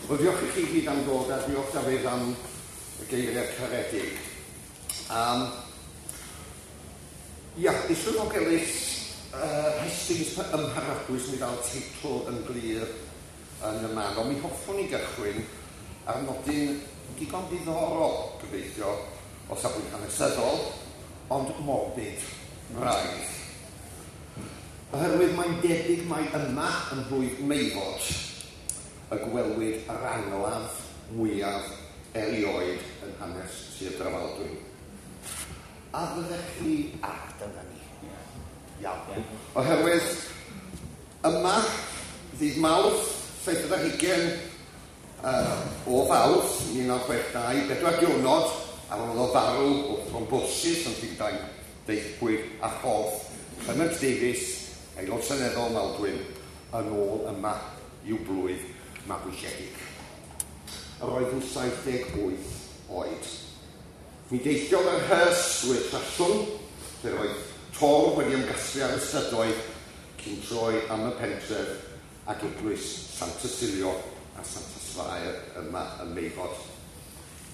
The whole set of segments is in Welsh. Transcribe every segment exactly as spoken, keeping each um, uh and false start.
Wel, diolch i chi gyd am ddod a diolch Dafydd am y geiriau caredig. Um, ia, Is-swyddog Elis, uh, Hastings ym Mharadwys, mi ddaw'r teitl yn glir yn y man, ond mi hoffwn i gychwyn ar nodyn digon diddorol, gobeithio, o safbwynt hanesyddol, ond morbid braidd. Oherwydd mae'n debyg mai yma yn mhlwyf Meifod y gwelwyd yr angladd mwyaf erioed yn hanes Sir Drefaldwyn. A fyddech chi... A, dyna ni. Iawn. Oherwydd yma, ddydd Mawrth, seithfed ar hugain uh, o Fawrth, mil naw chwech dau, bedwar diwrnod ar ôl iddo farw o thrombosis yn Llundain, daethpwyd â chorff Clement Davies, aelod seneddol Maldwyn, yn ôl yma i'w blwyf mabwysiedig. Yr oedd yn saith deg wyth oed. Mi deithiodd yr hearse drwy'r Trallwng, lle roedd torf wedi ymgasglu ar y strydoedd cyn troi am y pentref ac eglwys Sant Tysilio a Santes Fair yma ym Meifod.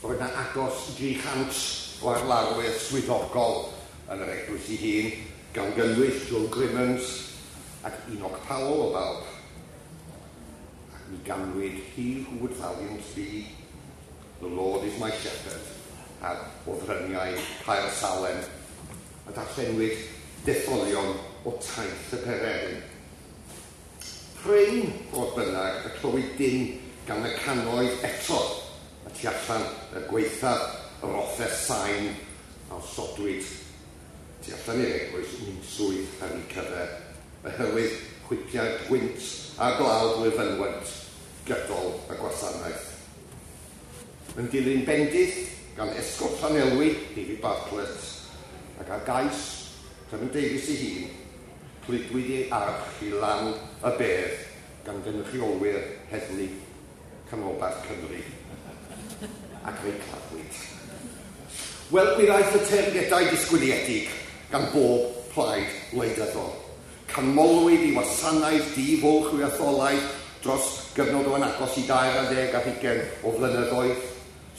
Roedd yna agos dri chant o arlarwyr swyddogol yn yr eglwys ei hun, gan gynnwys Joe Grimmons ac Enoch Powell o bawb. Ac mi ganwyd He Who Would Valiant Be, The Lord Is My Shepherd, ar o fryniau Caer Salem, a darllenwyd detholion o Taith y Pererin. Prin, fodd bynnag, y clywyd dim gan y cannoedd eto y tu allan y gwaethaf yr offer sain a osodwyd tu allan i'r eglwys unswydd ar eu cyfer, oherwydd chwipiau gwynt a glaw drwy'r fynwent gydol y gwasanaeth. Yn dilyn bendith gan Esgob Llanelwy, David Bartlett, ac ar gais Clement Davies ei hun, cludwyd ei arch i lan y bedd gan gynrychiolwyr heddlu Canolbarth Cymru, ac fe'i claddwyd. Wel, mi ddaeth y teyrngedau disgwyliedig gan bob plaid wleidyddol. Canmolwyd i wasanaeth di-fwlch i'w etholaeth dros gyfnod o yn agos i dair ar ddeg ar hugain o flynyddoedd.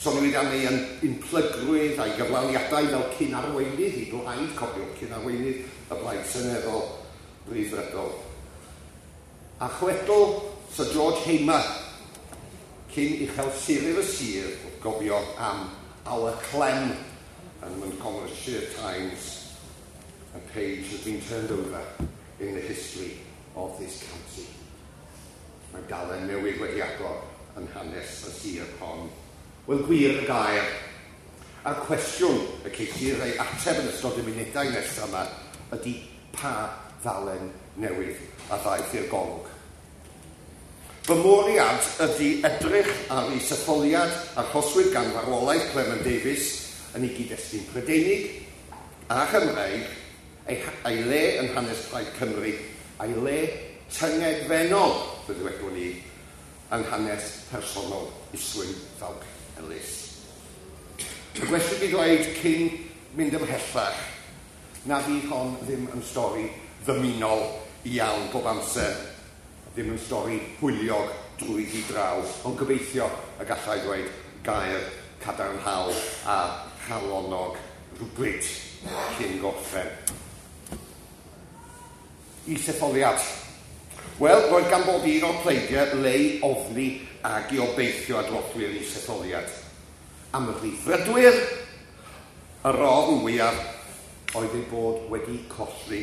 Soniwyd am ei unplygrwydd a'i gyflawniadau fel cyn-arweinydd i blaid, cofiwch, cyn-arweinydd y Blaid Seneddol Ryddfrydol. A chwedl Sir George Hamer, cyn uchel siryf y sir, wrth gofio am Our Clem yn Montgomeryshire Times, a page has been turned over in the history of this county. Mae dalen newydd wedi agor yn hanes y sir hon. Wel, gwir y gair. A'r cwestiwn y ceisir ei ateb yn ystod y munudau nesaf yma ydy pa ddalen newydd a ddaeth i'r golwg. Fy mwriad ydy edrych ar isetholiad achoswyd gan farwolaeth Clement Davies yn ei gyd-destun Prydeinig a Chymreig, ei, ei le yn hanes Plaid Cymru, a'i le tyngedfennol, fe ddywedwn ni, yn hanes personol Islwyn Ffowc Elis. Y gwestiwn i ddweud cyn mynd ymhellach, na fydd hon ddim yn stori ddymunol iawn bob amser, ddim yn stori hwyliog drwyddi draw, ond gobeithio y gallai ddweud gair cadarnhaol a chalonog rhywbryd cyn gorffen. Isetholiad. Wel, roedd gan bob un o'r pleidiau le i ofni ac i obeithio ar drothwy'r isetholiad. Am y Rhyddfrydwyr, yr ofn fwyaf oedd eu bod wedi colli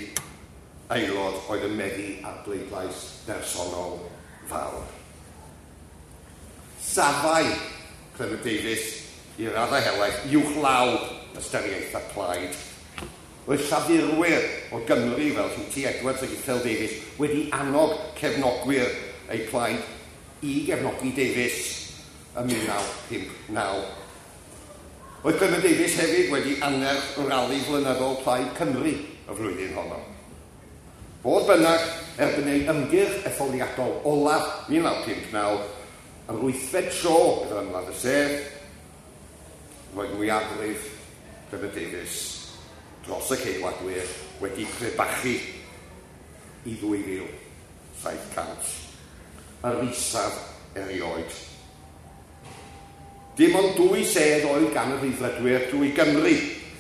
aelod oedd yn meddu ar bleidlais bersonol fawr. Safai Clement Davies i raddau helaeth uwchlaw ystyriaethau plaid. Roedd llafurwyr o Gymru fel Huw T Edwards ac Ithel Davies wedi annog cefnogwyr eu plaid i gefnogi Davies ym mil naw pump naw. Roedd Clement Davies hefyd wedi annerch rali flynyddol Plaid Cymru y flwyddyn honno. Fodd bynnag, erbyn ei ymgyrch etholiadol olaf mil naw pump naw, yr wythfed tro iddo ymladd y sedd, roedd mwyafrif Clement Davies dros y Ceidwadwyr wedi crebachu i ddwy fil saith cant, yr isaf erioed. Dim ond dwy sedd oedd gan y Rhyddfrydwyr drwy Gymru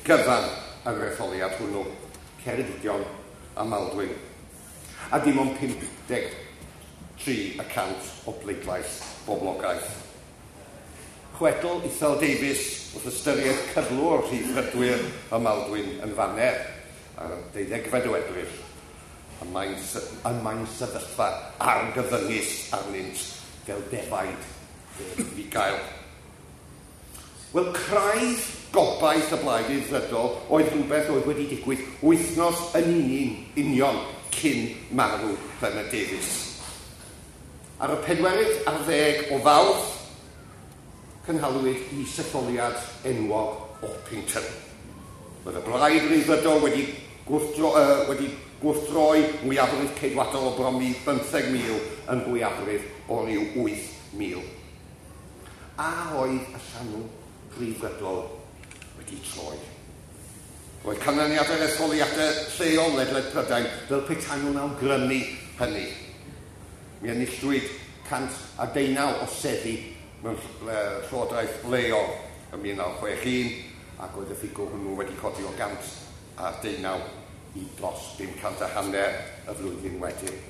gyfan yn yr etholiad hwnnw, Ceredigion a Maldwyn. A dim ond pump deg tri y cant o bleidlais boblogaeth. Chwedl Ithel Davies wrth ystyried cyflwr Rhyddfrydwyr y Maldwyn yn faner ar y deuddegfed o Ebrill, y mae'n y mae'n sefyllfa argyfyngus arnynt fel defaid fugail. Wel, craidd gobaith y blaid Rhyddfrydol oedd rhywbeth oedd wedi digwydd wythnos yn union cyn marw Clement Davies. Ar y pedwerydd ar ddeg o Fawrth, cynhaliwyd isetholiad enwog Orpington. Roedd y blaid Rhyddfrydol wedi, gwrthdro, uh, wedi gwrthdroi mwyafrif ceidwadol o bron i bymtheg mil yn fwyafrif o ryw wyth mil. A oedd y llanw Rhyddfrydol wedi troi. Roedd canlyniadau'r etholiadau lleol ledled Prydain fel petai nhw'n awgrymu hynny. Mi enillwyd cant a deunaw o seddi mewn llywodraeth leol ym mil naw chwech un, ac oedd y ffigwr hwnnw wedi codi o gant a deunaw i dros bum cant a hanner y flwyddyn wedyn.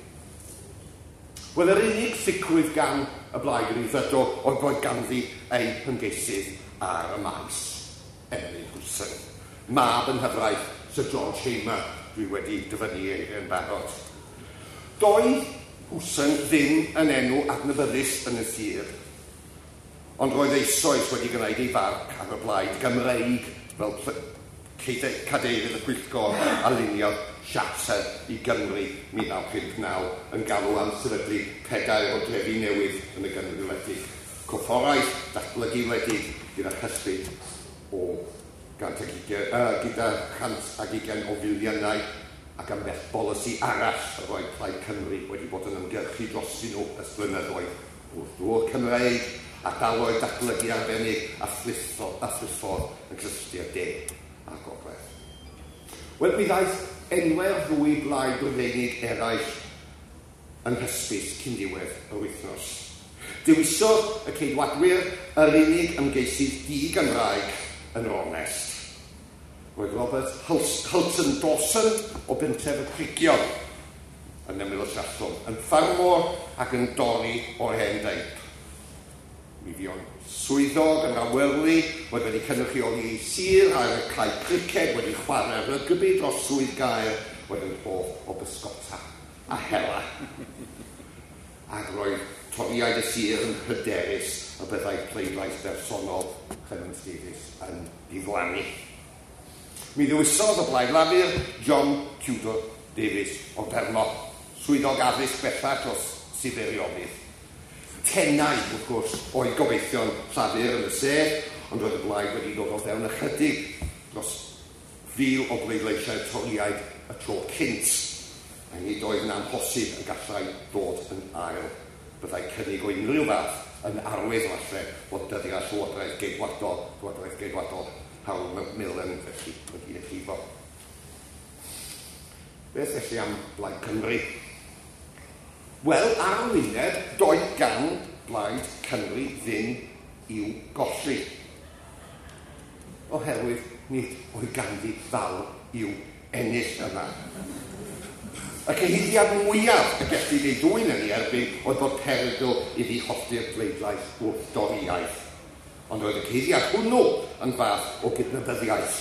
Wel, yr unig sicrwydd gan y blaid Rhyddfrydol oedd bod ganddi ei hymgeisydd ar y maes, Emlyn Hooson, mab yng nghyfraith Sir George Hamer, dwi wedi dyfynnu ei yn barod. Doedd Hooson ddim yn enw adnabyddus yn y sir, ond roedd eisoes wedi gwneud ei farc ar y blaid Gymreig fel cadeirydd y pwyllgor a luniodd Siarter i Gymru mil naw pump naw yn galw am sefydlu pedair o drefi newydd yn y Gymru wledig. Corfforaeth datblygu wledig gyda chyllid o gant ag ugain, uh, gyda chant ag ugain o filiynau ac ambell bolisi arall yr oedd Plaid Cymru wedi bod yn ymgyrchu drostyn nhw ers blynyddoedd wrth ddŵr Cymreig, ardaloedd datblygu arbennig a thriffordd yn cysylltu'r de a'r gogledd. Wel, mi ddaeth enwau'r ddwy blaid Brydeinig eraill yn hysbys cyn diwedd yr wythnos. Dewisodd y Ceidwadwyr yr unig ymgeisydd di-Gymraeg yn yr onest. Roedd Robert Hulton Dawson o bentref y Crugion yn ymyl y Trallwng, yn ffarmwr ac yn dorri o'r hen deip. Mi fuo'n swyddog yn awyrlu, oedd wedi cynrychioli ei sir ar y cae criced, wedi chwarae rygbi dros swydd gaer, oedd yn hoff o bysgota a hela. Ac roedd Torïaid y sir yn hyderus y byddai pleidlais bersonol Clement Davies yn diflannu. Mi ddewisodd y Blaid Lafur John Tudor Davies o Bermo, swyddog addysg bellach dros Sir Feirionnydd. Tenau, wrth gwrs, oedd gobeithion Llafur yn y sedd, ond roedd y blaid wedi dod o fewn ychydig dros fil o bleidleisiau Torïaid y tro cynt, a nid oedd yn amhosib y gallai ddod yn ail. Byddai cynnig o unrhyw fath yn arwydd falle bod dyddiau Llywodraeth Geidwadol, Llywodraeth Geidwadol Harold Macmillan felly wedi ei llifo. Beth felly am Blaid Cymru? Wel, ar y wyneb, doedd gan Blaid Cymru ddim i'w golli, oherwydd nid oedd ganddi fawr i'w ennill yma. Y cyhuddiad mwyaf y gellid ei ddwyn yn ei erbyn oedd bod perygl iddi hollti'r bleidlais wrth Dorïaeth. Ond oedd y cyhuddiad hwnnw yn fath o gydnabyddiaeth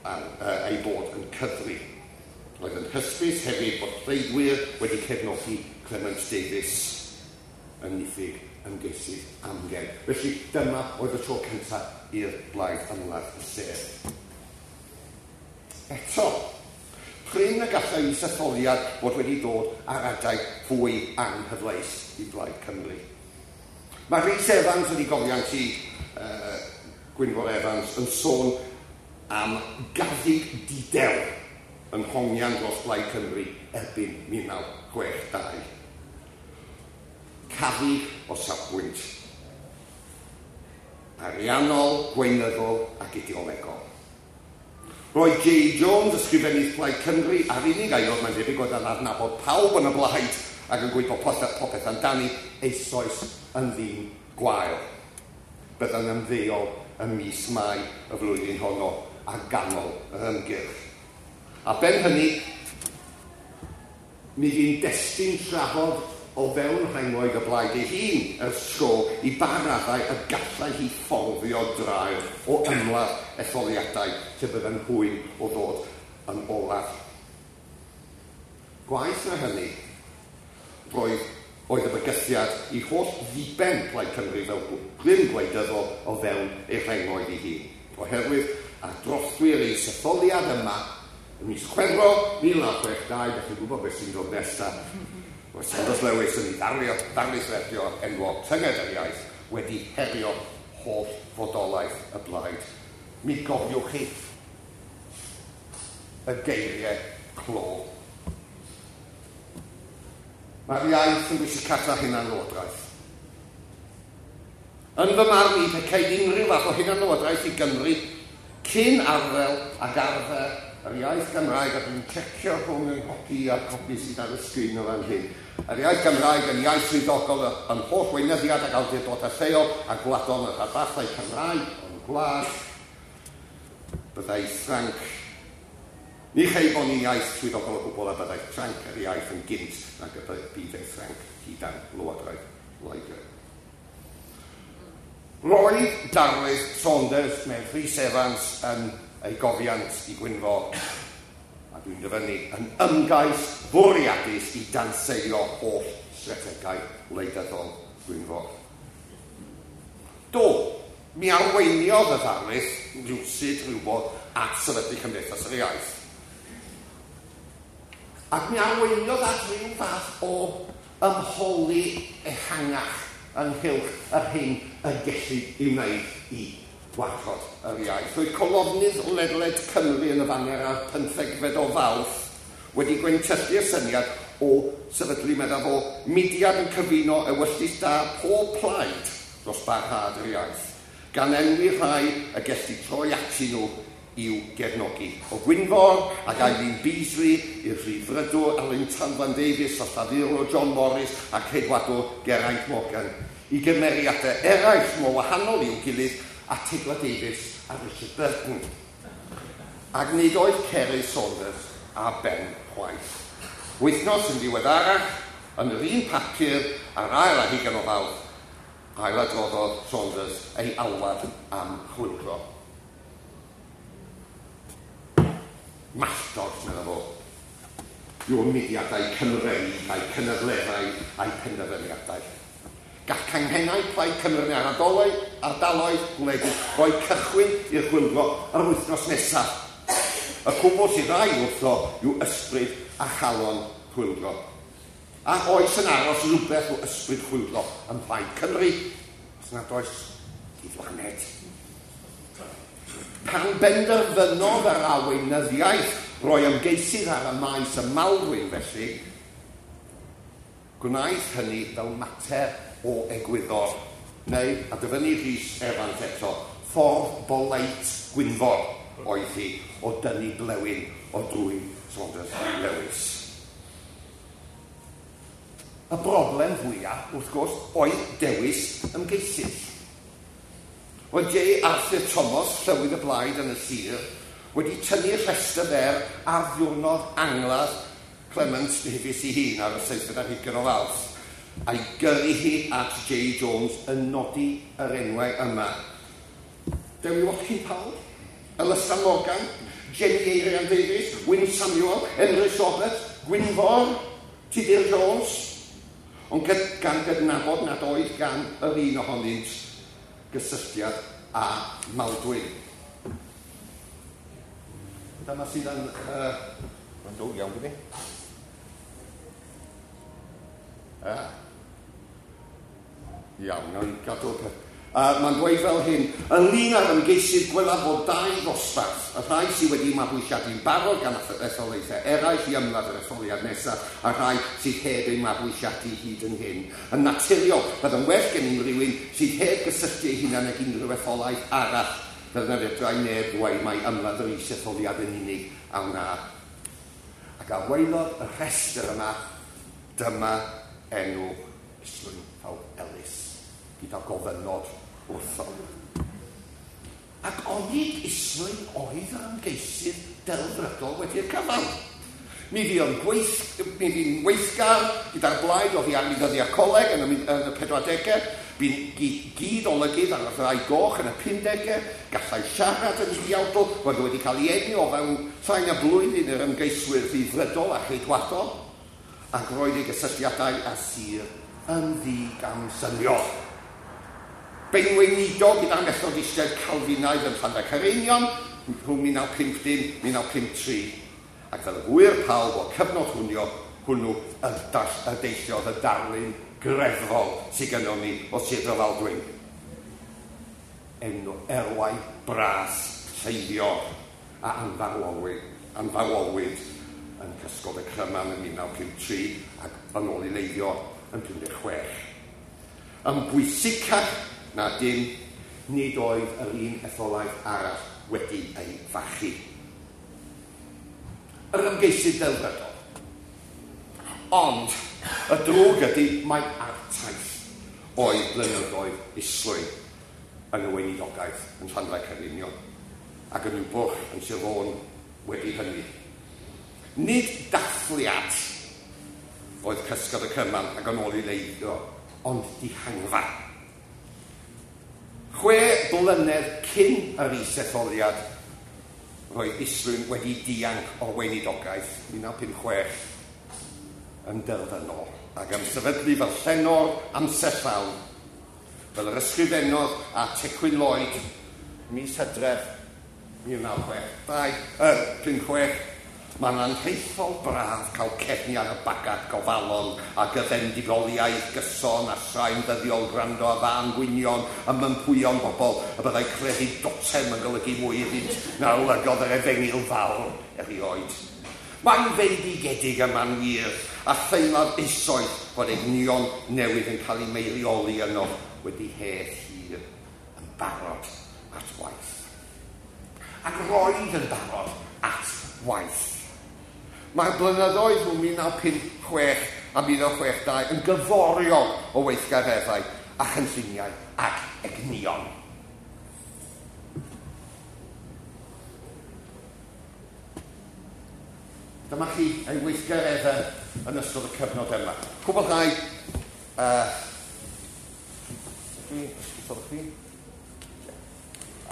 a, uh, ei bod yn cyfri. Roedd yn hysbys hefyd bod pleidwyr wedi cefnogi Clement Davies yn niffyg ymgeisydd amgen. Felly dyma oedd y tro cyntaf i'r blaid ymladd y sedd. Eto, prin y gallai isetholiad fod wedi dod ar adeg fwy anghyfleus i Blaid Cymru. Mae Rhys Evans yn ei gofiant i uh, Gwynfor Evans yn sôn am gaddug didew yn hongian dros Blaid Cymru erbyn mil naw chwech dau. Caddug o safbwynt ariannol, gweinyddol ac ideolegol. Roedd J Jones, ysgrifennydd Plaid Cymru, a'r unig aelod mae'n debyg oedd yn adnabod pawb yn y blaid ac yn gwybod popeth amdani, eisoes yn ddyn gwael. bydda'n ymddeol ym mis Mai y flwyddyn honno a ganol yr ymgyrch. A ben hynny, mi fu'n destun trafod o fewn rhengoedd y blaid ei hun ers tro i ba raddau y gallai hi fforddio draul o ymladd etholiadau lle bydda'n hwyn o ddod yn olaf. Gwaeth na hynny, roedd oedd y bygythiad i holl ddiben Plaid Cymru fel grym gwleidyddol o fewn ei rhengoedd ei hun. Oherwydd ar drothwy'r isetholiad yma, ym mis Chwefror mil naw chwech dau, dach chi'n gwybod beth sy'n dod nesaf, roedd Saunders Lewis yn ei ddarlio, ddarlith radio enwog Tynged yr Iaith wedi herio holl fodolaeth y blaid. Mi gofiwch chi y geiriau clo. Mae'r iaith yn bwysicach na hunanlywodraeth. Yn fy marn i, pe ceid unrhyw fath o hunanlywodraeth i Gymru cyn arddel ac arfer yr iaith Gymraeg, a dwi'n checio rhwng yng nghopi a'r copi sydd ar y sgrin o fan hyn. Yr iaith Gymraeg yn iaith swyddogol yn holl weinyddiad ac awdurdodau lleol a gwladol yn y rhanbarthau Cymraeg o'n gwlad. Byddai Ffranc. Ni chei bod ni'n iaith swyddogol o gwbl a byddai Ffranc yr iaith yn gynt nag y bydd ei Ffranc hyd Lywodraeth Loegr. Roedd darlith Saunders mewn Rhys Evans yn ei gofiant i Gwynfor, a dwi'n dyfynnu, yn ymgais fwriadus i danseilio holl strategaeth wleidyddol Gwynfor. Do, mi arweiniodd y ddarlith rywsut rhywbeth at sefydlu Cymdeithas yr Iaith. Ac mi arweiniodd at ryw fath o ymholi ehangach ynghylch yr hyn y gellid ei wneud i warchod yr iaith. Roedd colofnydd ledled Cymru yn y faner ar pymthegfed o Fawrth wedi gwyntyllu'r syniad o sefydlu, meddaf o, mudiad yn cyfuno ewyllys da pob plaid dros barhad yr iaith, gan enwi rhai y gellid troi atyn nhw i'w gefnogi. O Gwynfor ac Eileen Beasley i'r Rhyddfrydwr Alun Tanfan Davies, a Llafurwr John Morris a Ceidwadwr Geraint Morgan, i gymeriadau eraill mor wahanol i'w gilydd a Tegla Davies a Richard Burton. Ac nid oedd Cerydd Saunders a Ben chwaith. Wythnos yn ddiweddarach, yn yr un papur a'r ail ar hugain o Fawrth, ailadroddodd Saunders ei alwad am chwyldro. Malltod, meddwl fo, yw'r mudiadau Cymreig a'i cynadleddau a'i penderfyniadau. Gall canghennau Plaid Cymru yn ardaloedd, ardaloedd gwledig roi cychwyn i'r chwyldro yr wythnos nesaf. Y cwbl sydd rai wrtho yw ysbryd a chalon chwyldro. A oes yn aros rhywbeth o ysbryd chwyldro ym Mhlaid Cymru, os nad oes diflaned. Pan benderfynodd yr arweinyddiaeth roi ymgeisydd ar y maes y Maldwyn felly, gwnaeth hynny fel mater o egwyddor, neu, a dyfynnu Rhys Evans eto, ffordd boleit Gwynfor oedd hi o dynnu blewyn o drwyn Saunders Lewis. Y broblem fwyaf, wrth gwrs, oedd dewis ymgeisydd. Oedd J. Arthur Thomas, llywydd y blaid yn y sir, wedi tynnu'r rhestr fer ar ddiwrnod angladd Clement Davies ei hun ar y seithfed ar hugain o Fawrth, a'i gyrru hi at J. Jones yn nodi yr enwau yma. Dewi Watkin Powell, Elystan Morgan, Jenny Eirian Davies, Wyn Samuel, Emrys Roberts, Gwynfor, Tudur Jones, ond gan gydnabod nad oedd gan yr un ohonynt gysylltiad â Maldwyn. Dyma sydd yn... Uh, Mae'n dod iawn gyda. Ah. Iawn, nawn ni gadw'r peth. Uh, Mae'n dweud fel hyn, ynglyn â'r ymgeisydd gwelaf fod dau ddosbarth, y rhai sydd wedi mabwysiadu'n barod gan etholaethau eraill i ymladd yr etholiad nesaf, a rhai sydd heb eu mabwysiadu hyd yn hyn. Yn naturiol, bydd yn well gen rhywun sydd heb gysylltu ei hunan ag unrhyw etholaeth arall, fel na fedrai neb ddweud mai ymladd yr is-etholiad yn unig a wna. Ac ar waelod y rhestr yma, dyma enw Islwyn Ffowc Elis, gyda gofynod wrtho. Ac onid Islwyn oedd yr ymgeisydd delfrydol wedi'r cyfan. Mi fu'n gweith, mi fu'n weithgar gyda'r blaid oddi ar ddyddiau coleg yn y, yn y pedwardegau, bu'n gyd-olygydd ar y Ddraig Goch yn y pumdegau, gallai siarad yn huawdl, roedd wedi cael ei enwi o fewn llai na blwyddyn yr ymgeiswyr rhyddfrydol a cheidwadol, ac roedd ei gysylltiadau â sir yn ddigamsyniol. Benweinidog gyda'r Methodistiaid Calfinaidd yn Llanfair Caereinion rhwng mil naw pump dim a mil naw pump tri, ac fel y gŵyr pawb o'r cyfnod hwnnw, hwnnw y, y deilliodd y darlun greddfol sydd gynnon ni o Sir Drefaldwyn. Enw erwau bras Lleifior a anfarwolwyd, anfarwolwyd yn cysgod y Cryman yn mil naw pump tri ac yn ôl i Leifior yn pum deg chwech. Yn bwysicach na dim, nid oedd yr un etholaeth arall wedi ei fachu. Yr ymgeisydd delfrydol. Ond y drwg ydy mai artaith oedd blynyddoedd Islwyn yn y weinidogaeth yn Llanfair Caereinion ac yn Niwbwrch yn Sir Fôn wedi hynny. Nid dathliad oedd cysgod y Cyman ac yn ôl i Leifior, ond dihangfa. Chwe blynedd cyn yr isetholiad, roedd Islwyn wedi dianc o'r weinidogaeth mil naw pump chwech yn derfynol ac am sefydlu fel llenor amser llawn, fel yr ysgrifennodd a Tecwyn Lloyd mis Hydref mil naw chwech dau, er, pump chwech. Mae'n anrhaethol braf cael cefnu ar y bagad gofalon a gyfendigoliaeth gyson a straen ddyddiol gwrando a fan gwynion a mympwyon bobl y byddai crefydd dotem yn golygu mwy iddynt na olygodd yr efengyl fawr erioed. Mae'n fendigedig yma'n wir a theimlad eisoes fod egnion newydd yn cael eu meirioli yno wedi hedd hir yn barod at waith. Ac roedd yn barod at waith. Mae'r blynyddoedd rhwng mil naw pump chwech a mil naw chwech dau yn gyforiog o weithgareddau a chynlluniau ac egnion. Dyma chi ei weithgareddau yn ystod y cyfnod yma. Cwblhau... Uh, chi, chi?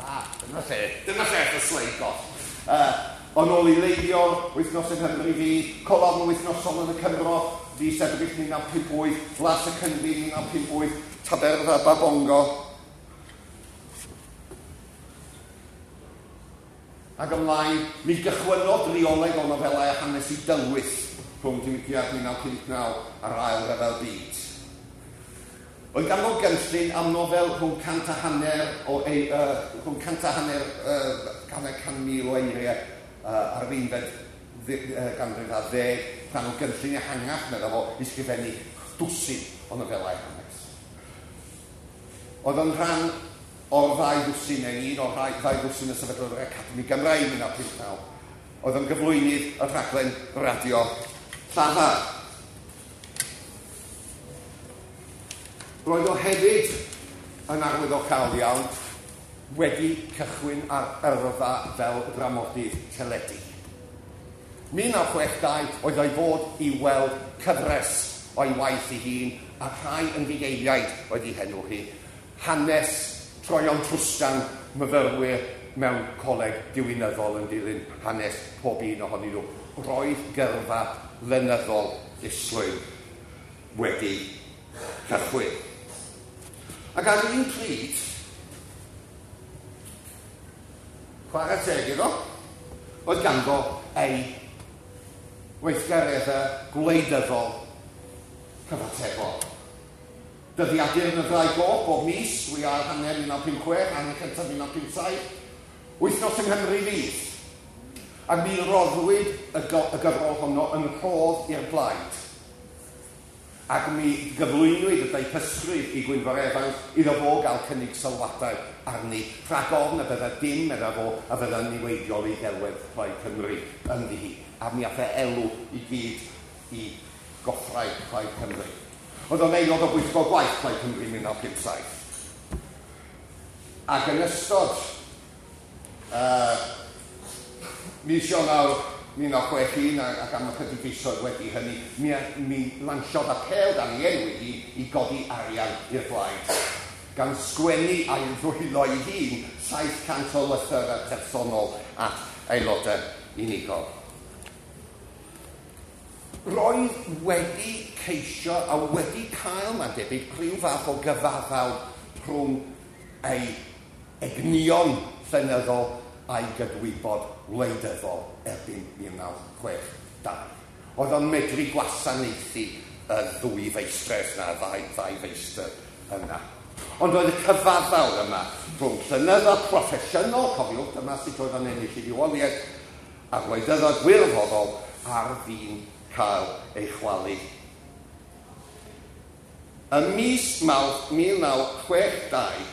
Ah, dyna lle. Dyna lle y sleid goll. Uh, Yn ôl i Leifior, wythnos yng Nghymru fi, colofn wythnosol yn y Cymro, fis Ebrill mil naw pump wyth, Blas y Cynfi mil naw pump wyth, Taberfa Babongo. Ac ymlaen, mi gychwynnodd drioleg o nofelau a hanes i dylwyth rhwng diwygiad mil naw pump naw a'r Ail Ryfel Byd. Oedd ganddo gynllun am nofel rhwng cant a hanner o ei, uh, rhwng cant a hanner, uh, hanner can mil o eiriau uh, ar yr unfed ganrif ar ddeg, rhan o gynllun ehangach, meddwl fo, i sgrifennu dwsin o nofelau hanes. Oedd yn rhan o'r ddau ddwsin, neu un o'r ddau ddwsin y sefydlodd yr Academi Gymraeg mil naw pump naw. Oedd yn gyflwynydd y rhaglen radio Llafar. Roedd o hefyd yn arwyddocaol iawn wedi cychwyn ar yrfa fel dramodydd teledu. mil naw chwech dau oedd o'i fod i weld cyfres o'i waith ei hun a rhai yn fugeiliaid oedd ei henw hi. Hanes troion trwstan myfyrwyr mewn coleg diwinyddol yn dilyn hanes pob un ohonyn nhw. Roedd gyrfa lenyddol Islwyn wedi cychwyn. Ac ar un pryd, chwarae teg iddo, oedd ganddo ei weithgareddau gwleidyddol cyfatebol. Dyddiadur yn y Ddraig Goch bob mis, dwy ail hanner mil naw pump chwech, hanner cyntaf mil naw pump saith, wythnos yng Nghymru fydd. Ac mi roddwyd y, y gyfrol honno yn rhodd i'r blaid. Ac mi gyflwynwyd y deipysgrif i Gwynfor Evans iddo fo gael cynnig sylwadau arni, rhag ofn y bydda dim, medda fo, a fydda'n niweidiol i ddelwedd Plaid Cymru ynddi hi. A mi ath e elw i gyd i goffrau Plaid Cymru. Oedd o'n aelod o bwyllgor gwaith Plaid Cymru mil naw pump saith. Ac yn ystod uh, mis Ionawr mil naw chwech un ac am ychydig fisoedd wedi hynny, mi, mi lansiodd apêl dan ei enw i, i godi arian i'r blaid, gan sgwennu a'i ddwylo ei hun saith cant o lythyrau personol at aelodau unigol. Roedd wedi ceisio a wedi cael, mae'n debyg, rhyw fath o gyfaddawd rhwng ei egnion llenyddol a'i gydwybod wleidyddol erbyn mil naw chwech dau. Oedd o'n medru gwasanaethu y ddwy feistres na, ddau, ddau feistr yna. Ond oedd y cyfaddawd yma rhwng llenyddol proffesiynol, cofiwch, dyma sut oedd o'n ennill ei fywoliaeth, a gwleidyddol gwirfoddol ar fin cael ei chwalu. Ym mis Mawrth mil naw chwech dau,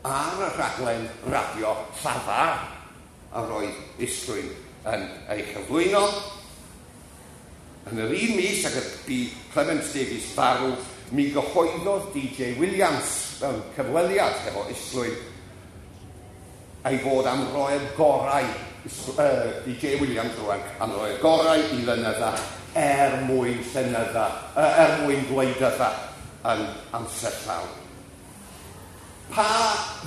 ar y rhaglen radio Llafar a roedd Islwyn yn ei chyflwyno, yn yr un mis ag y bu Clement Davies farw, mi gyhoeddodd D J Williams mewn cyfweliad hefo Islwyn ei fod am roi'r gorau, uh, D J Williams rwan, am roi'r gorau i lynydda er mwyn llenydda, uh, er mwyn gwleidydda yn amser llawn. Pa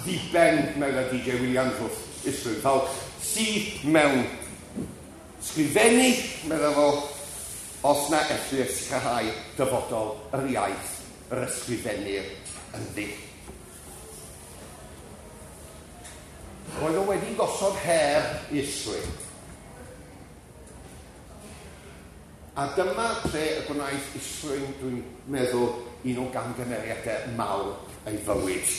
ddiben, meddai D J Williams wrth Islwyn Ffowc, sydd mewn sgrifennu, meddai fo, os na ellir sicrhau dyfodol yr iaith yr ysgrifennir ynddi. Roedd o wedi gosod her Islwyn. A dyma lle y gwnaeth Islwyn, dwi'n meddwl, un o gamgymeriadau mawr ei fywyd.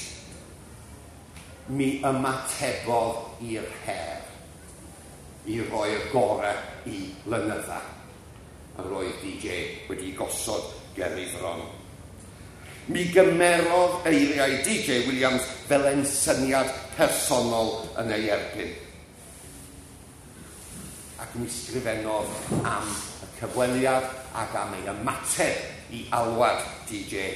Mi ymatebodd i'r her i roi'r gorau i lynydda. A roedd D J wedi gosod ger ei fron. Mi gymerodd eiriau D J Williams fel ensyniad personol yn ei erbyn. Ac mi sgrifennodd am y cyfweliad ac am ei ymateb i alwad D J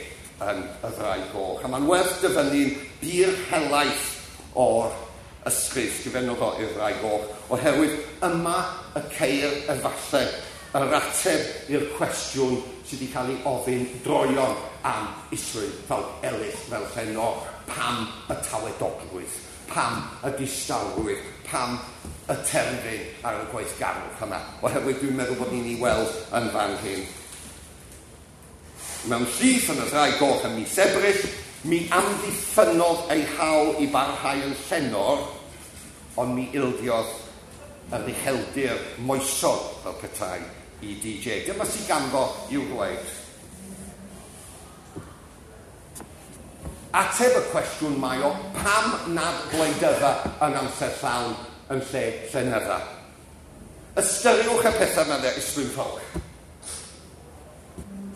yn y Ddraig Goch. A mae'n werth dyfynnu'n bir helaeth o'r ysgrif sgrifennodd o i'r Ddraig Goch, oherwydd yma y ceir efallai yr ateb i'r cwestiwn sydd wedi cael ei ofyn droeon am Islwyn Ffowc Elis fel llenor. Pam y tawedogrwydd, pam y distawrwydd, pam y terfyn ar y gweithgarwch yma? Oherwydd dwi'n meddwl bod ni'n ei weld yn fan hyn. Mewn llif yn y Ddraig Goch ym mis Ebrill, mi amddiffynnodd ei hawl i barhau yn llenor, ond mi ildiodd yr ucheldir moesol fel petai i D J. Dyma sydd ganddo i'w ddweud. Ateb y cwestiwn mae o, pam nad gwleidydda yn amser llawn yn lle llenydda? Ystyriwch y pethau yma, Islwyn Ffowc,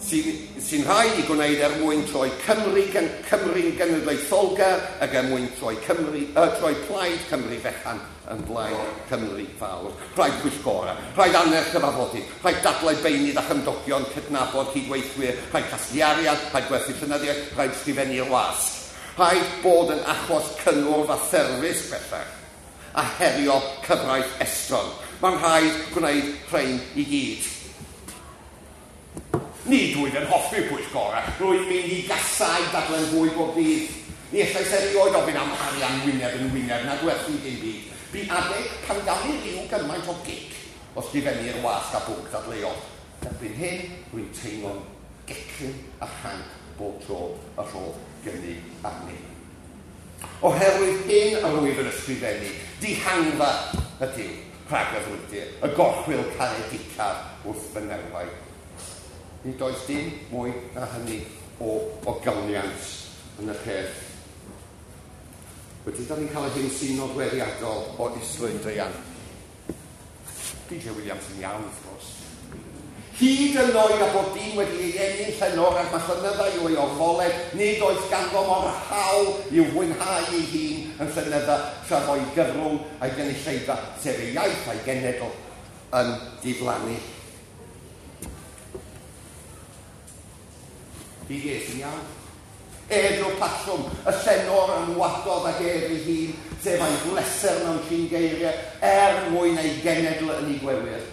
sy'n sy rhaid i gwneud er mwyn troi Cymru, gen, Cymru'n genedlaetholgar ac er mwyn troi, Cymru, uh, troi plaid Cymru fechan yn blaid Cymru fawr. Rhaid pwyllgora, rhaid annerch cyfarfodydd, rhaid dadlau beunydd a chymdogion, cydnabod cydweithwyr, rhaid casglu arian, rhaid gwerthu llenyddiaeth, rhaid sgrifennu'r wasg. Rhaid bod yn achos cynnwrf a therfysg bellach, a herio cyfraith estron. Mae'n rhaid gwneud rhain i gyd. Nid wyf yn hoffi pwyllgora, rwy'n mynd i gasau dadlen fwy bob dydd. Ni allais erioed ofyn am arian wyneb yn wyneb na gwerthu dim byd. Bu adeg pan gawn i ryw gymaint o gic o sgrifennu'r wasg a bwnc dadleuol. Erbyn hyn, rwy'n teimlo'n gecryn a chanc bob tro y rhodd gynnig arni. Oherwydd hyn yr wyf yn ysgrifennu, dihangfa ydyw rhag y frwydr, y gorchwyl caredicaf wrth fy nerfau. Nid oes dim mwy na hynny o ogoniant yn y peth. Wedyn, da ni'n cael y hyn sy'n nodweddiadol o Islwyn druan. D J Williams yn iawn, wrth gwrs. Hyd yn oed a bod dyn wedi ei eni'n llenor ac mae llenyddau i'w ei orfoledd, nid oes ganddo mor hawl i'w fwynhau ei hun yn llenydda tra fo'i gyfrwng a'i gynulleidfa, sef ei iaith a'i genedl, yn diflannu. D J sy'n iawn. Ef yw'r patrwm, y llenor yn wadodd ag ef ei hun, sef ei bleser mewn trin geiriau, er mwyn ei genedl yn ei gwewyr.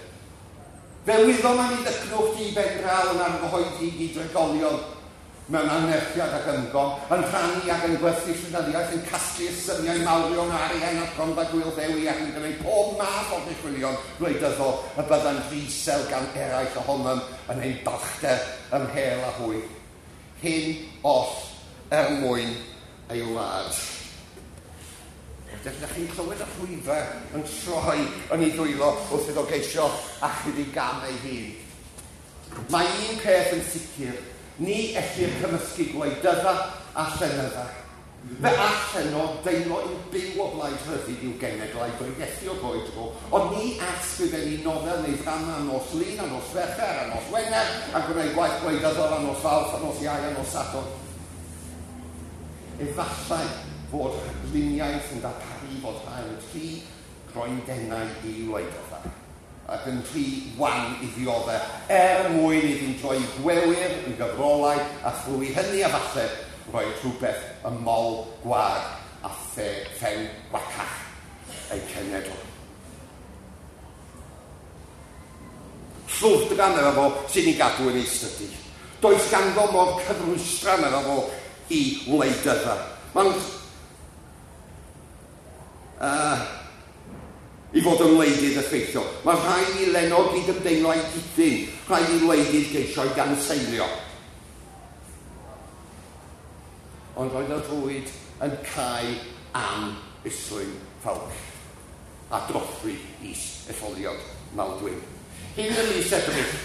Fe wyddom am ei ddycnwch di ben draw yn argyhoeddi i drigolion mewn anerchiad ac ymgom, yn rhannu ac yn gwerthu llenyddiaeth, yn casglu symiau mawrion arian at gronfa Gŵyl Ddewi ac yn gwneud pob math o ddichwilion gwleidyddol y bydda'n ddi-sel gan eraill ohonom yn ein balchder ymhel a hwy. Hyn oll er mwyn ei wlad. Ydych chi'n clywed y rhwyfau yn troi yn ei ddwylo wrth iddo geisio achub ei gam ei hun. Mae un peth yn sicr, ni ellir cymysgu gwleidydda a llenydda. Fe all llenor deimlo i'w byw o blaid rhyddid i'w genedl a'i bregethu o dro i dro, ond ni all sgrifennu nofel neu ddrama nos Lun a nos Fercher a nos Wener a gwneud gwaith gwleidyddol a nos Fawrth a nos Iau a nos Sadwrn. Efallai fod rhagluniaeth yn darparu fod rhai yn rhy groendennau i wleidydda ac yn rhy wan i ddioddef er mwyn iddynt droi gwewyr yn gyfrolau a thrwy hynny a falle rhoi rhywbeth y mol gwag a the, phen gwacach ei cenedl. Llwfdra medda fo sy'n ei gadw yn ei stydi. Does ganddo mo'r cyfrwystra medda fo i wleidydda. Mae'n uh, i fod yn wleidydd effeithiol. Mae rhaid i lenor gydymdeimlo â'i gydyn, rhaid i wleidydd geisio i ganseilio. Ond roedd y rwyd yn cau am Islwyn Ffowc a drothwy is-etholiad Maldwyn. Hyn ym mis Ebrill,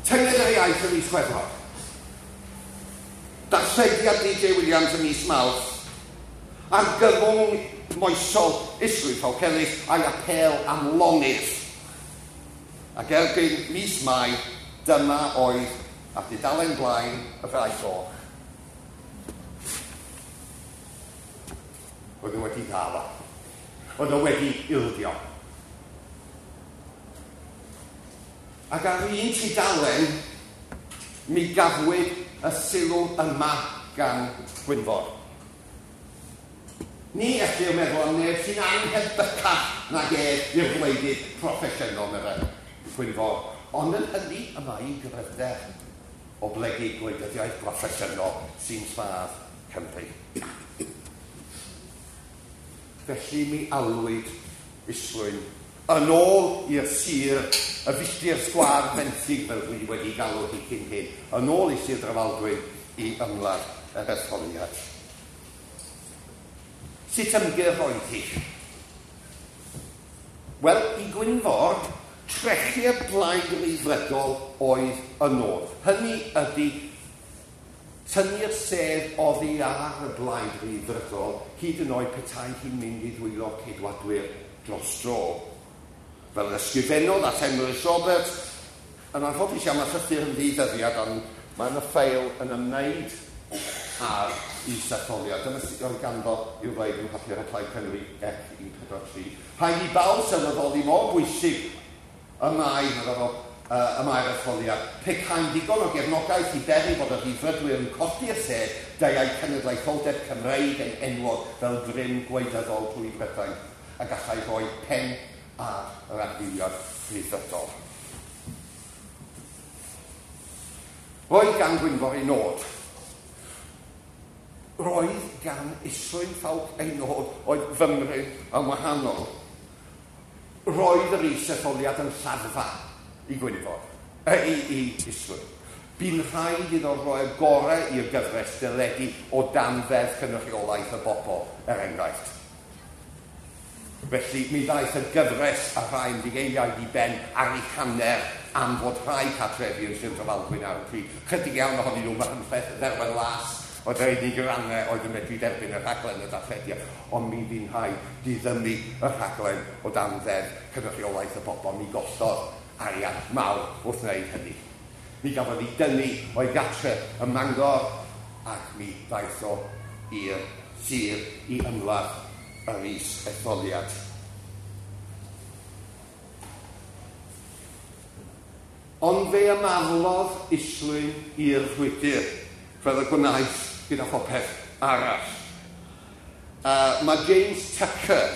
tynged yr iaith ym mis Chwefror, darllediad D J Williams ym mis Mawrth, argyfwng moesol Islwyn Ffowc Elis a'i apêl am lonydd. Ac erbyn mis Mai, dyma oedd ar dudalen blaen y Ffrae Goch. Oedd nhw wedi ddal o. Oedd nhw wedi ildio. Ac ar un tudalen, mi gafwyd y sylw yma gan Gwynfor. Ni ellir meddwl am neb sy'n anhebycach nag ef i'r gwleidydd proffesiynol, meddai Gwynfor. Ond yn hynny y mae ei gryfder o blygu gwleidyddiaeth broffesiynol sy'n lladd Cymru. Felly mi alwyd Islwyn yn ôl i'r sir, y filltir sgwâr fenthyg fel dwi wedi galw hi cyn hyn, yn ôl i Sir Drefaldwyn i ymladd yr etholiad. Sut ymgyrch oedd hi? Wel, i Gwynfor, trechu'r blaid Ryddfrydol oedd y nod. Hynny ydy tynnu'r sedd oddi ar y blaid Ryddfrydol, hyd yn oed petai hi'n mynd i ddwylo Ceidwadwyr dros dro. Fel ysgrifennodd at Emrys Roberts, yn anffodus iawn mae llythyr yn ddi-ddyddiad, ond mae yna ffeil yn ymwneud â'r is-etholiad. Dyma sut oedd ganddo i'w ddweud yn papur y Plaid Cymru F un pedwar tri. Rhaid i bawb sylweddoli mor bwysig y mae, medda fo, uh, y mae'r etholiad. Pe caen ddigon o gefnogaeth i beri bod y Rhyddfrydwyr yn codi'r sedd, deuai cenedlaetholdeb Cymreig yn enwog fel grym gwleidyddol trwy Brydain, a gallai rhoi pen ar yr adfywiad Rhyddfrydol. Roedd gan Gwynfor ei nod. Roedd gan Islwyn Ffowc ei nod oedd fymryn yn wahanol. Roedd yr is-etholiad yn lladdfa i Gwynfor, e, i, i Islwyn. Bu'n rhaid iddo roi'r gorau i'r gyfres deledu o dan ddeddf cynrychiolaeth y bobl, er enghraifft. Felly mi ddaeth y gyfres a rhai ymddigeiliaid i ben ar ei hanner am fod rhai cartrefi yn Sir Drefaldwyn ar y pryd. Chydig iawn ohonyn nhw, Machynlleth, Dderwen Las, oedd yr unig rannau oedd yn medru derbyn y rhaglen y darllediad, ond mi fu'n rhaid diddymu y rhaglen o dan ddeddf cynrychiolaeth y bobl. Mi gollodd arian mawr wrth wneud hynny. Mi gafodd ei dynnu o'i gartre ym Mangor ac mi ddaeth o i'r sir i ymladd yr is-etholiad. Ond fe ymaflodd Islwyn i'r frwydr, fel y gwnaeth gyda phopeth arall. Uh, mae James Tucker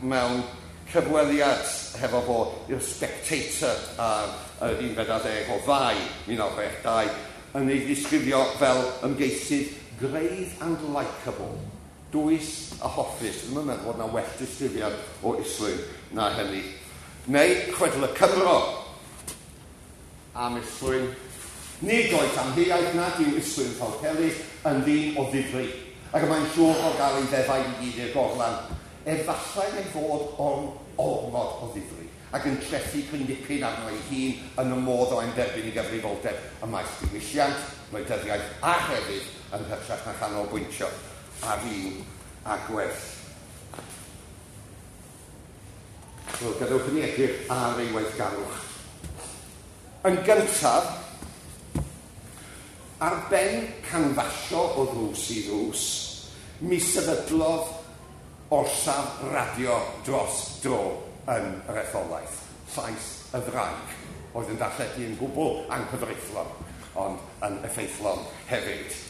mewn cyfweliad hefo fo i'r Spectator ar yr unfed ar ddeg o Fai mil naw chwech dau yn ei ddisgrifio fel ymgeisydd grave and likeable, dwys a hoffus. Dwi'm yn meddwl bod yna well disgrifiad o Islwyn na hynny. Neu chwedl y Cymro am Islwyn. Nid oes amheuaeth nad yw Islwyn Ffowc Elis yn ddyn o ddifri, ac y mae'n siŵr o gael ei ddefaid i gyd i'r gorlan. Efallai ei fod o'n ormod o ddifri, ac yn trethu cryn dipyn arno ei hun yn y modd o derbyn ei gyfrifoldeb ym maes diwylliant, gwleidyddiaeth a hefyd yn hytrach na chanolbwyntio ar un agwedd. Wel, gadewch i ni edrych ar ei weithgarwch. Yn gyntaf, ar ben canfasio o ddrws i ddrws, mi sefydlodd orsaf radio dros dro yn yr etholaeth, Llais y Ddraig, oedd yn darlledu yn gwbl anghyfreithlon, ond yn effeithlon hefyd.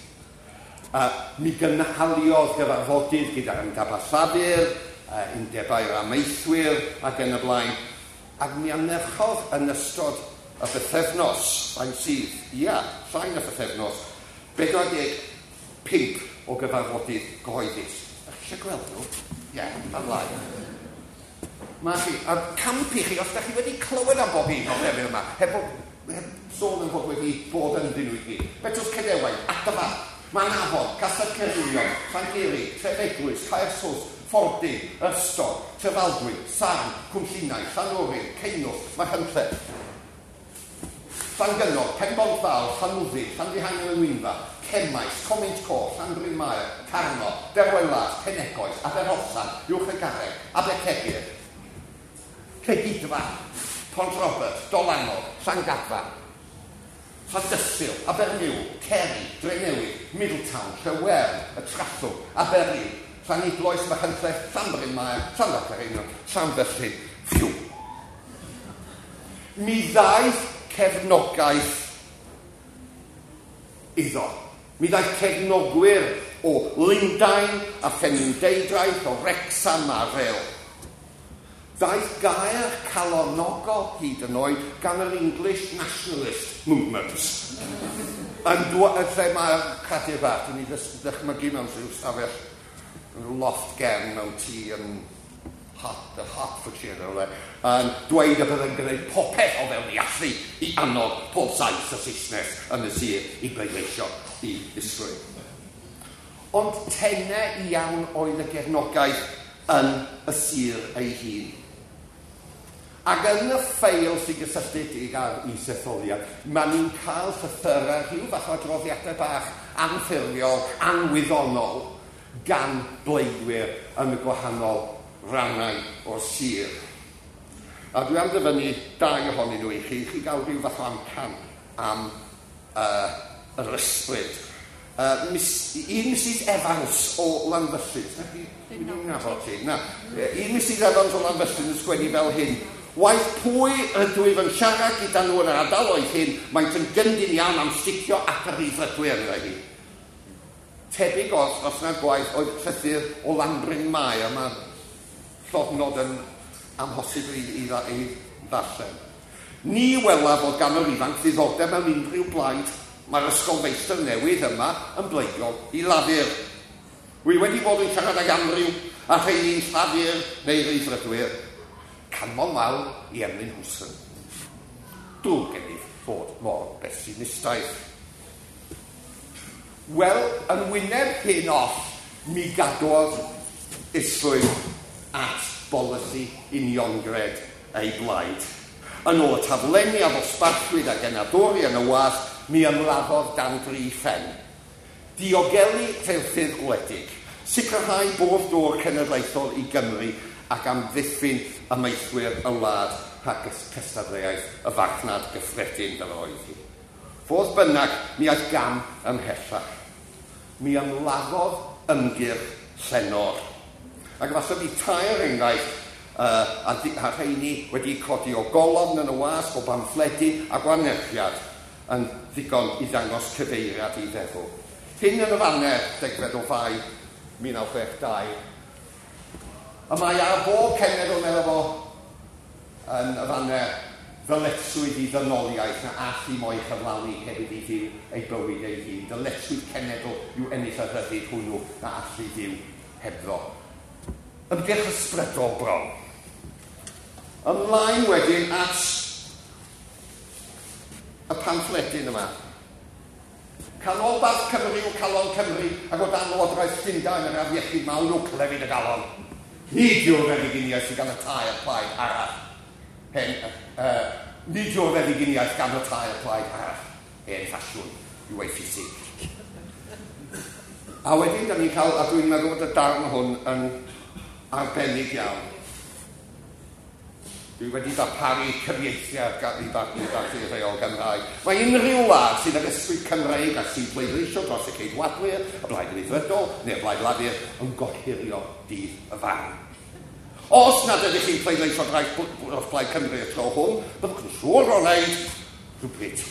Uh, mi gynhaliodd gyfarfodydd gyda'r Undeb Llafur, uh, undebau'r amaethwyr ac yn y blaen, ac mi anerchodd yn ystod y bythefnos, faint sydd, ia, llai na bythefnos, bedwar deg pump o gyfarfodydd gyhoeddus. Ydych chi eisiau gweld nhw? Ie, yeah, ymlaen. Mae chi, a camp i chi, os ydych chi wedi clywed am bob un o'r lefydd yma, heb, heb sôn yn fod wedi bod ynddyn nhw i gyd. Betws Cedewain, Adfa, Manafon, Castell Caerllion, Llangurig, Trefeglwys, Caersws, Ffordun, Ystod, Trefaldwyn, Sarn, Cwmllinau, Llanwrin, Ceinwth, Machynlleth, Llangynog, Penbont Fawr, Llanwddyn, Llanfihangel yng Ngwynfa, Cemaes, Comint Coch, Llanbryn Mair, Carno, Derwen Las, Penegoes, Aberhosan, Uwch y Garreg, Abercegyr, Cegidfa, Pont Robert, Dolanog, Llangadfan, Llandysul, Abermiwl, Ceri, Drenewydd, Middletown, Llewern, y Trallwng, Aberriw, Llanidloes, Machynlleth, Llanbryn Mair, Llanfairpwll, Llanfyllin, ffiw. Mi ddaeth cefnogaeth iddo. Mi ddaeth cefnogwyr o Lundain a Phenrhyndeudraeth, o Wrecsam a Rhyl. Ddaeth gair calonogol hyd yn oed gan yr English Nationalist Movement. Yn lle mae'r cradur bach, dwi'n ei ddychmygu mewn rhyw stafell, loft gefn mewn tŷ yn Hart, Hertfordshire, neu rywle, yn dweud y byddai'n gwneud popeth o fewn ei allu i annog pob Sais a Saesnes yn y sir i bleidleisio i Islwyn. Ond tenau iawn oedd y gefnogaeth yn y sir ei hun. Ac yn y ffeil sy'n gysylltiedig â'r isetholiad, mae ni'n cael llythyrau, rhyw fath o adroddiadau bach anffurfiol, anwyddonol, gan bleidwyr yn y gwahanol rannau o'r sir. A dwi am ddyfynnu dau ohonyn nhw i chi, i chi gael rhyw fath o amcan am uh, yr ysbryd. Uh, mis, un Missus Evans o Lanfyllin, dwi'n nabod ti, na. Un Missus Evans o Lanfyllin yn sgwennu fel hyn: Waeth pwy ydw i yn siarad gyda nhw yn yr ardaloedd hyn, maent yn gyndyn iawn am sticio at y Rhyddfrydwyr, meddai hi. Tebyg os, os na'r gwaith oedd llythyr o Lanbryn Mair, a mae'r llofnod yn amhosib i, i, i ddarllen. Ni wela fod gan yr ifanc ddiddordeb mewn unrhyw blaid. Mae'r ysgolfeistr newydd yma yn bleidiol i Lafur. Wi wedi bod yn siarad ag amryw a rheini'n Llafur neu Rhyddfrydwyr. Canmol mawr i Emlyn Hooson. Drwg gennyf fod mor besimistaidd. Wel, yn wyneb hyn oll, mi gadwodd Islwyn at bolisi uniongred ei blaid. Yn ôl y taflenni a ddosbarthwyd a genadwri yn y wasg, mi ymladdodd dan dri phen. Diogelu rheilffyrdd gwledig, sicrhau bwrdd dŵr cenedlaethol i Gymru ac amddiffyn amaethwyr y wlad rhag cystadleuaeth y farchnad gyffredin fel oedd hi. Fodd bynnag, mi aeth gam ymhellach. Mi ymladdodd ymgyrch llenor. Ac efallai bydd tair enghraifft uh, a, a rheini wedi codi o golofn yn y wasg, o bamffledi a gwanerchiad yn ddigon i ddangos cyfeiriad i feddwl. Hyn yn y Faner, degfed o Fai, mil naw chwech dau. Y mae ar bob cenedl, meddwl fo, yn y Faner, ddyletswydd i ddynoliaeth na all i mo'i chyflawni heb iddi fyw ei bywyd ei hun. Dyletswydd cenedl yw ennill y rhyddid hwnnw na all i fyw hebddo. Ymgyrch ysbrydol bron. Ymlaen wedyn at y pamffledyn yma. Canolbarth Cymru yw calon Cymru ac o dan Lywodraeth Llundain yr afiechyd mawr yw clefyd y galon. Nid yw'r feddyginiaeth sydd gan y tair plaid arall. Hen, uh, nid yw'r feddyginiaeth gan y tair plaid arall. Hen ffasiwn yw ei ffisig. A wedyn, da ni'n cael, a dwi'n meddwl bod y darn hwn yn arbennig iawn. Dwi wedi darparu cyfieithiad gan i barchu rheol Gymraeg. Mae unrhyw wlad sydd ag ysbryd Cymreig a sy'n pleidleisio dros y Ceidwadwyr, y Blaid Ryddfrydol neu'r Blaid Lafur yn gohirio dydd y farn. Os nad ydych chi'n pleidleisio dros Blaid Cymru y tro hwn, byddwch yn siŵr o wneud rhywbryd.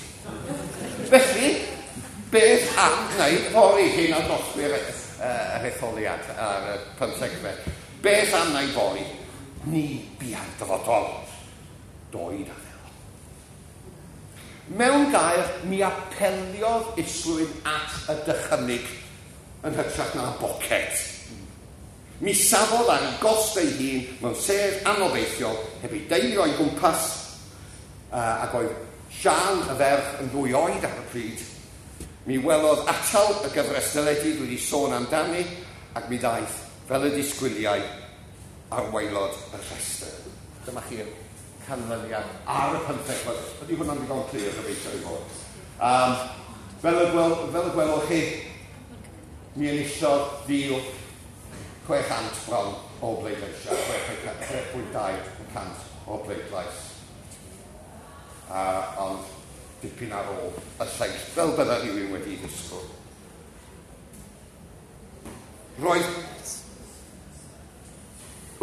Felly, beth am wneud fory hyn a drothwy'r yr etholiad ar y pymthegfed? Beth am wneud fory? Ni bia'r dyfodol. Doed a ddelo. Mewn gair, mi apeliodd Islwyn at y dychymyg yn hytrach na boced. Mi safodd ar ei gost ei hun mewn sedd anobeithiol heb ei deulu o'i gwmpas, uh, ac oedd Sian y ferch yn ddwy oed ar y pryd. Mi welodd atal y gyfres deledu dwi wedi sôn amdani, ac mi ddaeth fel y disgwyliau ar waelod y rhestr. Dyma chi'r canlyniad ar y pymtheg. Ydy hwnna'n ddigon clir, gobeithio i fod. Um, fel, y gwel, fel y gwelwch chi, mi enillodd fil chwe chant bron o bleidleisiau, chwe pwynt dau y cant o bleidlais. Uh, ond dipyn ar ôl y lleill, fel bydda rhywun wedi ddisgwyl. Roedd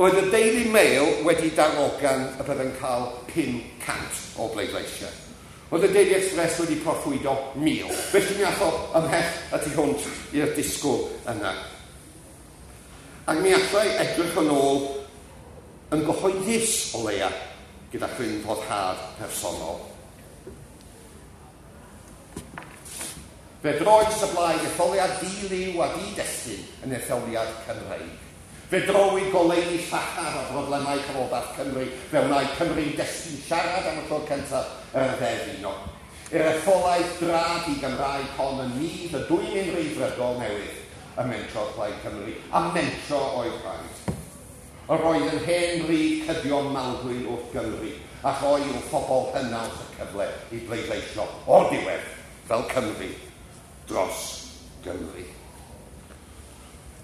Roedd y Daily Mail wedi darogan y byddai'n cael pum cant o bleidleisiau. Roedd y Daily Express wedi proffwydo mil. Felly mi ath o ymhell y tu hwnt i'r disgwyl yna. Ac mi allai edrych yn ôl yn gyhoeddus o leia gyda chryn foddhad personol. Fe droes y blaid etholiad di-liw a di-destun yn etholiad Cymreig. Fe drowyd goleuni llachar o broblemau Canolbarth Cymru, fe wnaed Cymru'n destun siarad am y tro cyntaf yr ddeddf uno. Yr etholaeth drad i Gymraeg hon yn nydd y dwymyn Rhyddfrydol newydd y mentrodd Plaid Cymru, a mentro oedd rhaid. Yr oedd yn hen bryd cydio maldwyn wrth Gymru, a rhoi i'w phobl hynaws y cyfle i bleidleisio o'r diwedd fel Cymru dros Gymru.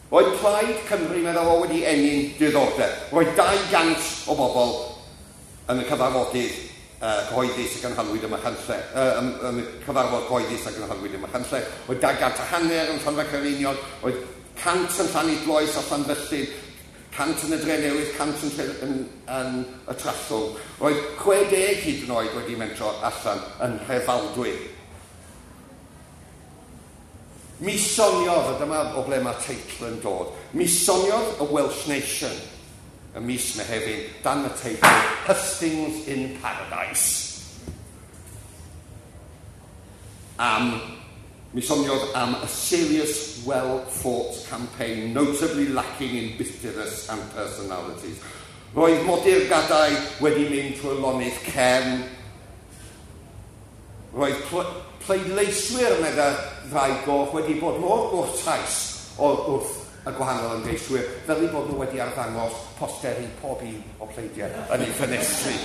Roedd Plaid Cymru, meddwl o, wedi ennyn diddordeb. Roedd dau gant o bobl yn y cyfarfodydd uh, cyhoeddus a gynhalwyd ym Machynlleth, uh, yn, yn y cyfarfod cyhoeddus a gynhalwyd ym Machynlleth. Roedd dau gant a hanner yn Llanfair Caereinion, roedd cant yn Llanidloes a Llanfyllin, cant yn y Drenewydd, cant yn, yn, yn y Trallwng. Roedd chwe deg hyd yn oed wedi mentro allan yn Nhrefaldwyn. Mi soniodd, a dyma o ble mae teitl yn dod, mi soniodd y Welsh Nation y mis Mehefin dan y teitl Hustings in Paradise. Am, mi soniodd am a serious, well-fought campaign, notably lacking in bitterness and personalities. Roedd modurgadau wedi mynd trwy lonydd cefn. Roedd pleidleiswyr, medda rai goch, wedi bod mor gwrtais wrth y gwahanol ymgeiswyr, fel eu bod nhw wedi arddangos posteri pob un o pleidiau yn eu ffenestri.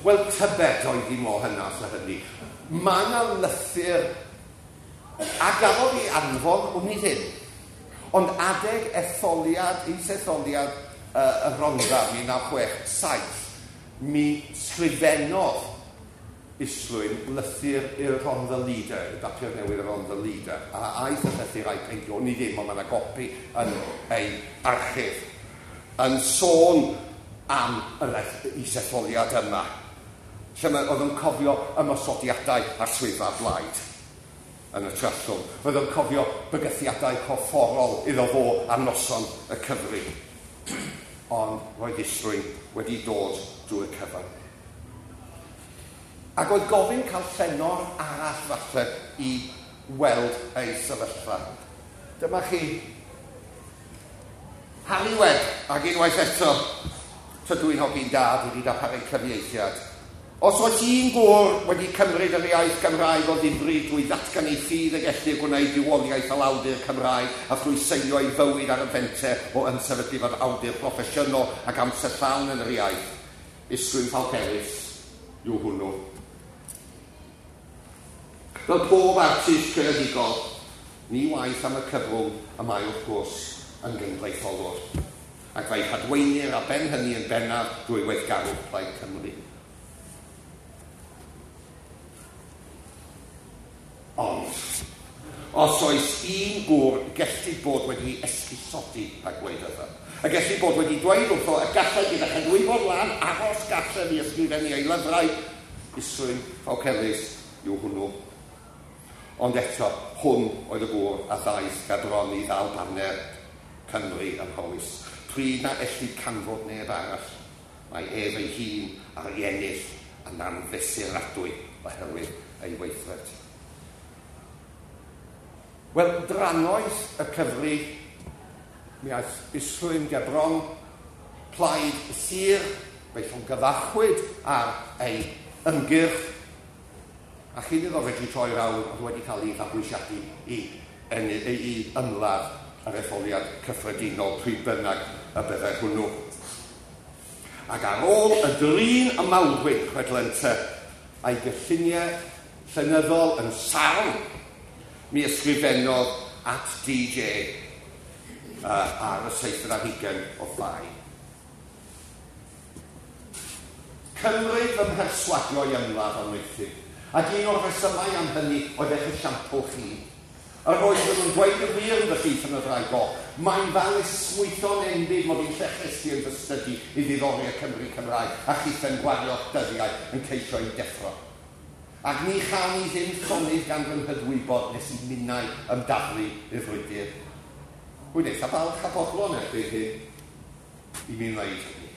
Wel, tybed oedd hi mor hynas a hynny. Mae yna lythyr a gafodd ei anfon, wn i ddim, ond adeg etholiad, is-etholiad uh, y Rhondda, mil naw chwech saith, mi sgrifennodd Islwyn lythyr i'r Rhondda Leader, y bapur newydd y Rhondda Leader, a aeth y llythyr a'i peidio, ni ddim, ond mae yna gopi yn ei archif, yn sôn am yr isetholiad yma, lle mae, oedd yn cofio ymosodiadau ar swyddfa blaid. yn y Trallwng. Roedd o'n cofio bygythiadau corfforol iddo fo ar noson y cyfri. Ond roedd Islwyn wedi dod drwy'r cyfan. Ac oedd gofyn cael llenor arall falle i weld ei sefyllfa. Dyma chi Harry Webb, ac unwaith eto, tydw i'n hogyn da, dwi wedi darparu cyfieithiad. Os oes un gŵr wedi cymryd yr iaith Gymraeg o ddifri drwy ddatgan ei ffydd y gellir gwneud bywoliaeth fel awdur Cymraeg a thrwy seilio ei fywyd ar y fenter o ymsefydlu fel awdur proffesiynol ac amser llawn yn yr iaith, Islwyn Ffowc Elis yw hwnnw. Fel pob artist creadigol, ni waeth am y cyfrwng y mae wrth gwrs yn genedlaetholwr, ac fe'i hadweinir ar ben hynny yn bennaf drwy weithgarwch Plaid Cymru. Ond, os oes un gŵr gellid bod wedi esgusodi a gwleidydda, a gellid bod wedi dweud wrtho y gallai gyda chydwybod lan aros gartref i ysgrifennu ei lyfrau, Islwyn Ffowc Elis yw hwnnw. Ond eto, hwn oedd y gŵr a ddaeth gerbron i ddal baner Cymru ym Mhowys. Pryd na ellid canfod neb arall, mae ef ei hun ar ei ennill yn anfesuradwy oherwydd ei weithred. Wel, drannoeth y cyfri, mi aeth Islwyn gerbron plaid y sir, fe'i llongyfarchwyd ar ei ymgyrch, a chyn iddo fedru troi rownd, oedd wedi cael ei fabwysiadu i, i, i ymladd yr etholiad cyffredinol pryd bynnag y byddai hwnnw. Ac ar ôl y drin y mawrwyd chwedlente a'i gylluniau llenyddol yn sarn, mi ysgrifennodd at D J uh, ar y seithfed ar hugain o Fai. Cymryd fy mherswadio i ymladd am wneuthur, ac un o'r rhesymau am hynny oedd eich esiampl chi. Yr oeddwn nhw'n dweud y gwir yn fy llith yn y ddraig goch. Mae'n fel esmwytho'n enbyd mod i'n llechesgu yn fy stydi i ddiddori y Cymry Cymraeg a chitha'n gwario'ch dyddiau yn ceisio i'w deffro. Ac ni chawn i ddim llonydd gan fy nghydwybod nes i minnau ymdaflu i'r frwydr. Wy'n eitha balch a bodlon erbyn hyn i mi wneud hynny.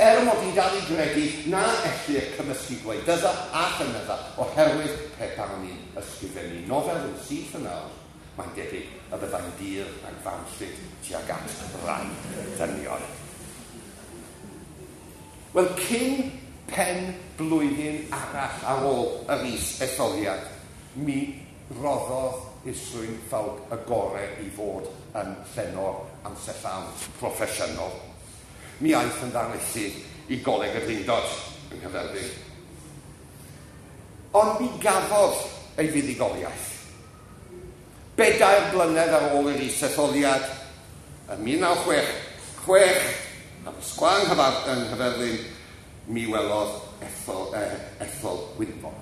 Er mod i'n dal i gredu na ellir cymysgu gwleidydda a llenydda oherwydd pe bawn i'n ysgrifennu nofel yn syth yn awr, mae'n debyg y byddai'n dir a'n fanllyd tuag at rai dynion. Wel, cyn pen blwyddyn arall ar ôl yr is-etholiad, mi roddodd Islwyn Ffowc y gorau i fod yn llenor amser llawn proffesiynol. Mi aeth yn ddarlithydd i Goleg y Drindod yng Nghaerfyrddin. Ond mi gafodd ei fuddugoliaeth. Bedair blynedd ar ôl yr is-etholiad, ym mil naw chwech chwech, ar y sgwâr yng Nghaerfyrddin, mi welodd ethol, eh, ethol Gwynfor.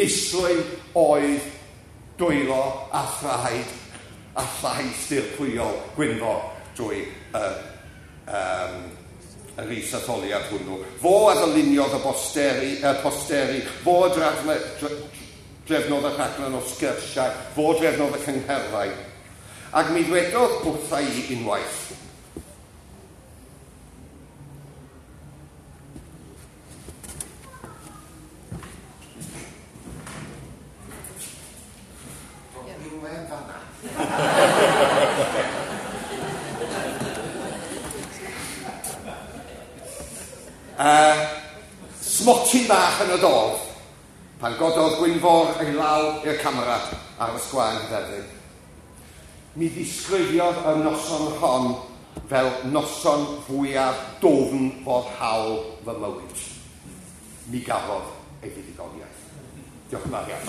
Islwyn oedd dwylo a thraed a llais dirprwyol Gwynfor drwy y uh, um, yr is-etholiad hwnnw. Fo a ddyluniodd y posteri, y posteri, fo a drefne, drefnodd y rhaglen o sgyrsiau, fo drefnodd y cyngherddau. Ac mi ddwedodd wrtha i unwaith, Uh, smotyn bach yn y dorf, pan gododd Gwynfor ei law i'r camera ar y sgwâr yng Nghaerfyrddin. Mi ddisgrifiodd y noson hon fel noson fwyaf dwfn foddhaol fy mywyd. Mi gafodd ei fuddugoliaeth. Diolch yn fawr iawn.